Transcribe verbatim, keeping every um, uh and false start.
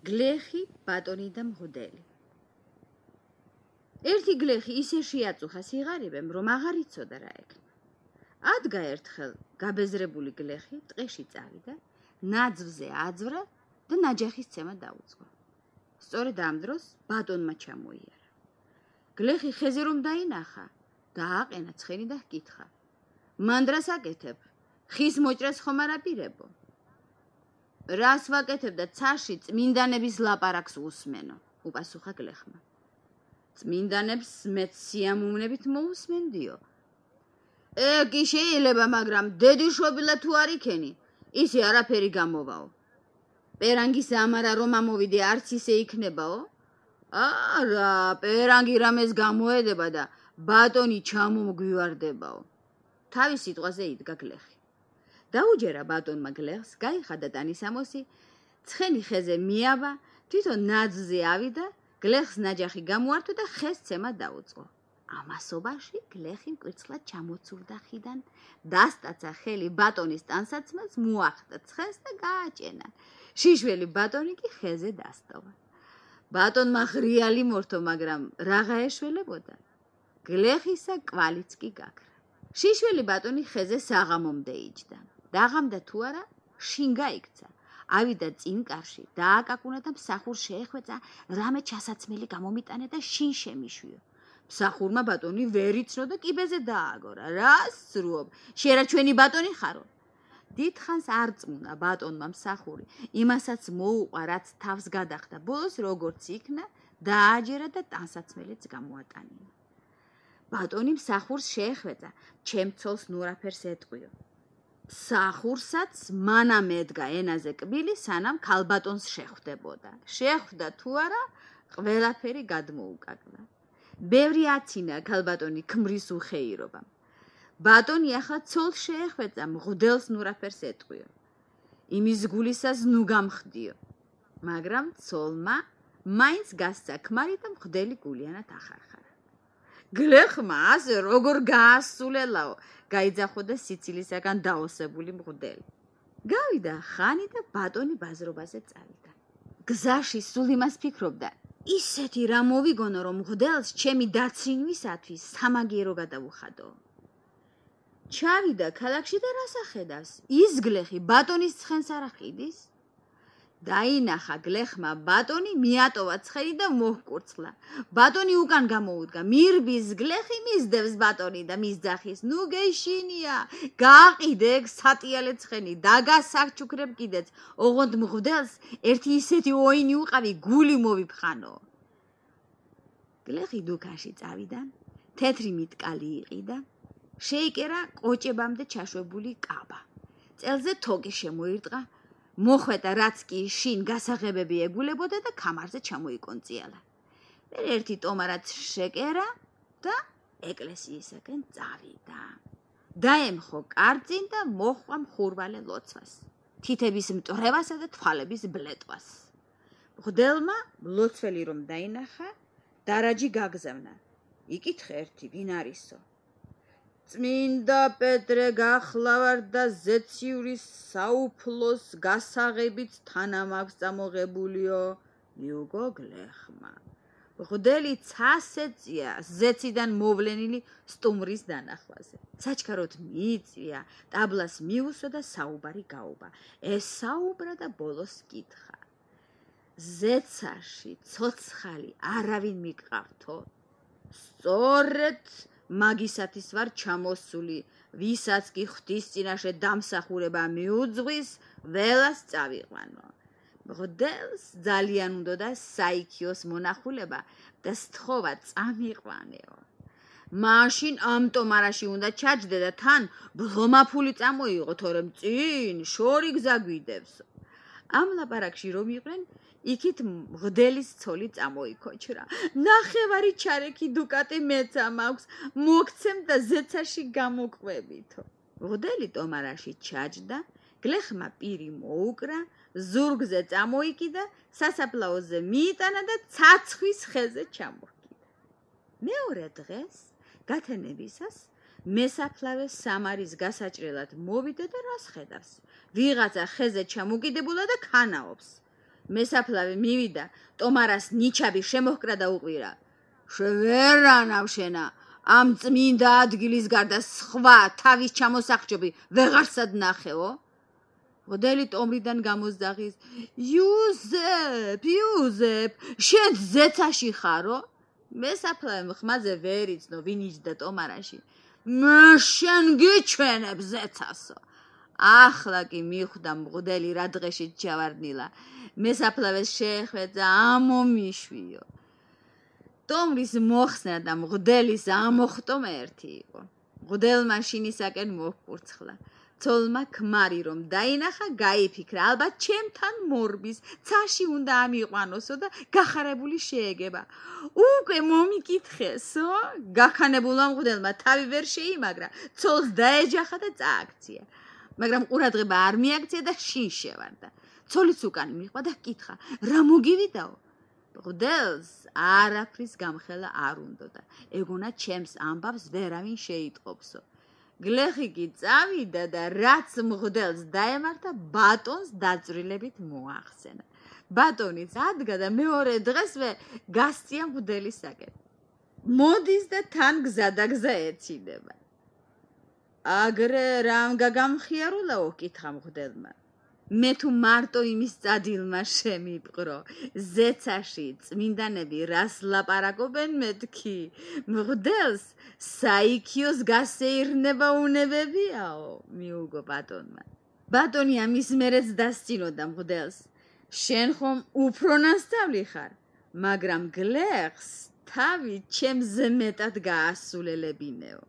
გლეხი, ბატონი და მღვდელი. ერთი გლეხი ისე შეაწუხა სიღარიბემ, რომ აღარ იცოდა რა ეკნა. ადგა ერთხელ გაბეზრებული გლეხი ტყეში წავიდა, ნაძვზე აძვრა და ნაჯახის ცემა დაუწყო. სწორედ ამ დროს ბატონმა ჩამოიარა. გლეხი ხეზე რომ დაინახა, დააყენა ცხენი და ჰკითხა: მან დრას აკეთებ? ხის მოჭრას ხომ არ აპირებო? რას ვაკეთებ და ცაში წმინდანების ლაპარაკს უსმენო, უპასუხა გლეხმა. წმინდანებს მეც სიამოვნებით მოусმენდიო. ეკი შეიძლება, მაგრამ დედიშობილა თუ არ იქენი, ისე არაფერი გამოვაო. პერანგის ამარა რომ ამოვიდე არც ისე იქნებაო? არა, პერანგი რამეს გამოედება და ბატონი ჩამომგვივარდებაო. თავის სიტყვაზე იდგა გლეხი. დაუჯერა ბატონმა გლეხს, გაიხადა ტანისამოსი, ცხენი ხეზე მიავა, თვითონ ნაძვზე ავიდა, გლეხს ნაჯახი გამოართვა და ხეს ცემა დაუწყო. ამასობაში გლეხი მკვირცხლად ჩამოცურდა ხიდან, დასტაცა ხელი ბატონის ტანსაცმელს, მოახდა ცხენს და გააჭენა. შიშველი ბატონი კი ხეზე დასტოვა. ბატონმა ღრიალი მორთო, მაგრამ რაღა ეშველებოდა. გლეხისა კვალიც კი გაქრა. შიშველი ბატონი ხეზე საღამომდე იჯდა. დაღამდა თუ არა, შინ გაიქცა. ავიდა წინკარში, დააკაკუნა და მსახურს შეეხვეწა, რამე ჩასაცმელი გამომიტანა და შინ შემიშვიო. მსახურმა ბატონი ვერ იცნო და კიბეზე დააგორა. რას სრუობ? შენ რა ჩვენი ბატონი ხარო? დიდხანს არ წმუნა ბატონმა მსახური, იმასაც მოუყვა, რაც თავს გადახდა. ბოლოს როგორც იქნა, დააჯერა და ტანსაცმელიც გამოატანინა. ბატონი მსახურს შეეხვეწა, ჩემ ცოლს ნურაფერს ეტყვიო. მსახურსაც მანამ ედგა ენაზე კბილი, სანამ ქალბატონს შეხვდებოდა. შეხვდა თუ არა, ყველაფერი გადმოუკაკლა. ბევრი აცინა ქალბატონი ქმრის უხეირობამ. ბატონი ახლა ცოლს შეეხვეწა, მღვდელს ნურაფერს ეტყვიო. იმის გულისას ნუ გამხდიო. მაგრამ ცოლმა მაინც გასცა ქმარი და მღვდელი გულიანად ახარხარა. გლეხმა ასე როგორ გაასულელაო, გაიძახო და სიცილისაგან დაოსებული მღვდელი. გავიდა ხანი და ბატონი ბაზრობაზე წავიდა. გზაში სულ იმას ფიქრობდა, ისეთი რა მოვიგონო, რომ მღვდელს ჩემი დაცინვისათვის სამაგიერო გადავუხადო. ჩავიდა ქალაქში და რას ახედავს? ის გლეხი ბატონის ცხენს არ აყიდის? დაინახა გლეხმა ბატონი, მიატოვა ცხენი და მოჰკურცხლა. ბატონი უკან გამოუდგა, მირბის გლეხი მისდევს ბატონი და მის ძახის. ნუ გეშინია, გააყიდე ეგ სატიალე ცხენი, დაგასარჩუქრებ კიდეც. ოღონდ მღვდელს ერთი ისეთი ოინი უყავი, გული მოვიფხანო. გლეხი დუქანში წავიდა, თეთრი მიტკალი იყიდა, შეიკერა ყოჭებამდე ჩაშვებული კაბა. წელზე თოკი შემოირტყა, მოხვედა რაც კი შინ გასაღებები ეგულებოდა და ქამარზე ჩამოიკონწიალა. მერე ერთი ტომარაც შეკერა და ეკლესიისაკენ წავიდა. დაემხო კარწინ და მოჰყვა მხურვალე ლოცვას, თითების მტვრევასა და თვალების ბლეტვას. მღვდელმა ლოცველი რომ დაინახა, დარაჯი გაგზავნა. იკითხე ერთი, ვინ არისო? წმინდა პეტრე გახლავარ და ზეციურის საუფლოს გასაღებით თანამაქვს წამოღებულიო, მიუგო გლეხმა. მღვდელი ცას ეწია ზეციდან მოვლენილი სტუმრის დანახვაზე. საჩქაროდ მიიწვია, ტაბლას მიუსვა და საუბარი გაუვა. ესაუბრა და ბოლოს კითხა: ზეცაში ცოცხალი არავინ მიგყავთო? სწორედ მაგისათის ვარ ჩამოსული, ვისაც კი ღვთის წინაშე დამსახურება მიუძღვის, ველას წავიყვანო. მღვდელს ძალიან უნდოდა საიქიოს მონახულება და სთხოვა წამიყვანეო. მაშინ ამ ტომარაში უნდა ჩაჯდე და თან ბლომაფული წამოიღო, თორემ წინ შორი გზა გვიდევსო. ამ ლაპარაკში რომ იყვნენ, იქით მღვდელის ცოლი წამოიქოჩრა. ნახევარი ჩარეკი დუკატი მეც ამაქვს, მოგცემ და ზეცაში გამოყვებითო. მღვდელი ტომარაში ჩაჯდა, გლეხმა პირი მოუკრა, ზურგზე წამოიკიდა, სასაფლაოზე მიიტანა და ცაცხვის ხეზე ჩამოჰკიდა. მეორე დღეს გათენებისას მესაფლავე სამარის გასაჭრელად მოვიდა და რას ხედავს? ვიღაცა ხეზე ჩამოკიდებულა და ქანაობს. მესაფლავე მივიდა, ტომარას ნიჩაბი შემოჰკრა და უყვირა. შევერანავ შენა, ამ წმინდა ადგილის გარდა სხვა თავის ჩამოსახჭობი ვეღარსად ნახეო? მღვდელი ტომრიდან გამოსძახის. იუზეფ, იუზეფ, შენ ზეცაში ხარო? მესაფლავემ ხმაზე ვერ იცნო, ვინ იჯდა ტომარაში. მე შენ გიჩვენებ ზეცასო. ახლა კი მიხვდა მღვდელი რა დღეშიც ჩავარდნილა. მესაფლავეს შეეხვეწა ამომიშვიო. ტომრის მოხსნა და მღვდელის ამოხტომა ერთი იყო. მღვდელმა შინისაკენ მოჰკურცხლა. ცოლმა ქმარი რომ დაინახა, გაიფიქრა, ალბათ ჩემთან მორბის, ცაში უნდა ამიყვანოსო და გახარებული შეეგება. უკვე მომიკითხესო? გაქანებულმა მღვდელმა თავი ვერ შეიმაგრა, ცოლს დაეჯახა და წააქცია. მაგრამ ყურადღება არ მიაქცია და შინ შევარდა. ცოლიც უკან მიჰყვა და კითხა, რა მოგივიდაო? მღვდელს არაფრის გამხელა არ უნდოდა. ეგონა ჩემს ამბავს ვერავინ შეიტყობსო. გლეხი კი წავიდა და რაც მღვდელს დაემართა, ბატონს დაძვრილებით მოახსენა. ბატონიც ადგა და მეორე დღესვე გასწია მღვდელისაკენ. მოდის და თან გზადაგზა ეცინება. აგრე რამ გაგამხიარულაო? კითხა მღვდელმა. მე თუ მარტო იმის წადილმა შემიპყრო, ზეცაში წმინდანები რას ლაპარაკობენ მეთქი, მღვდელს საიქიოს გასეირნება უნებებიაო, მიუგო ბატონმა. ბატონი ამის მერეც დასწინოდა მღვდელს. შენ ხომ უფრო ნასწავლი ხარ, მაგრამ გლეხს თავი ჩემზე მეტად გაასულელებინეო.